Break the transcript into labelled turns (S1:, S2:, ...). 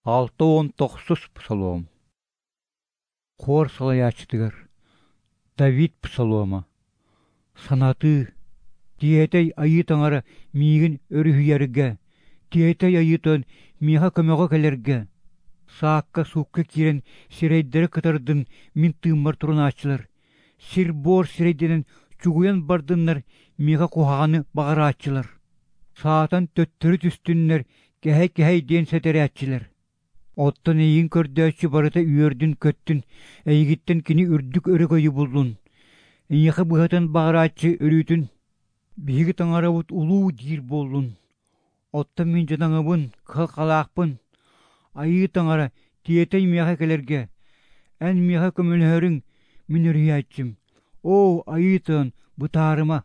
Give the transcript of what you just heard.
S1: 69-ус псалом. Хор салайааччытыгар. Давид псалома. Санатыы. Тиэтэй Айыы Таҥара миигин өрүһүйэргэ, тиэтэй Айыы Тойон миэхэ көмөҕө кэлэргэ. Саакка-суукка киирэн сирэйдэрэ кытардын мин тыыммар турунааччылар, сир-буор сирэйдэнэн чугуйан бардыннар миэхэ куһаҕаны баҕарааччылар. Саатан төттөрү түстүннэр кэһэй-кэһэй диэн сэтэрээччилэр. Оттон эйигин көрдөөччү барыта үөрдүн-көттүн, эйигиттэн кини үрдүк өрөгөйү буллун. Эйиэхэ быһатын баҕарааччы өрүүтүн биһиги таҥарабыт улуу диир буоллун. Оттон мин дьадаҥыбын, кыһалҕалаахпын. Айыы таҥара, тиэтэй миэхэ кэлэргэ. Эн миэхэ көмөлөһөрүҥ, мин өрүһүйээччим. Оо, Айыы Тойон, бытаарыма.